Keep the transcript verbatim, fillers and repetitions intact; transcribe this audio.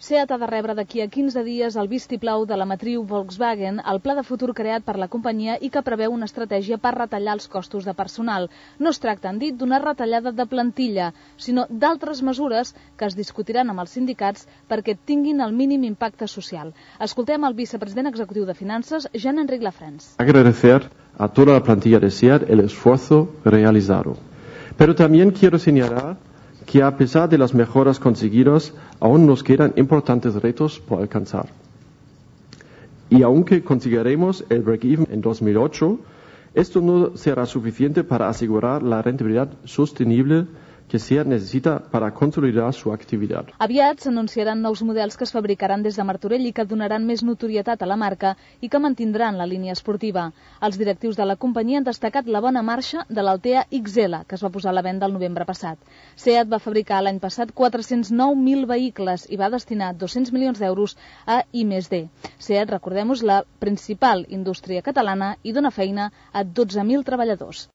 SEAT ha de rebre d'aquí a quinze dies el vistiplau de la matriu Volkswagen, el pla de futur creat per la companyia i que preveu una estratègia per retallar els costos de personal. No es tracta, han dit, d'una retallada de plantilla, sinó d'altres mesures que es discutiran amb els sindicats perquè tinguin el mínim impacte social. Escoltem el vicepresident executiu de Finances, Jean-Enric Lafrens. Agradecer a toda la plantilla de SEAT el esfuerzo realizado. Pero también quiero señalar que a pesar de las mejoras conseguidas, aún nos quedan importantes retos por alcanzar. Y aunque conseguiremos el break-even en dos mil ocho, esto no será suficiente para asegurar la rentabilidad sostenible que SEAT necessita per a consolidar su activitat. Aviat s'anunciaran nous models que es fabricaran des de Martorell i que donaran més notorietat a la marca i que mantindran la línia esportiva. Els directius de la companyia han destacat la bona marxa de l'Altea X L, que es va posar a la venda el novembre passat. SEAT va fabricar l'any passat quatre-cents nou mil vehicles i va destinar dos-cents milions d'euros a I més D. SEAT, recordem-ho, és la principal indústria catalana i dona feina a dotze mil treballadors.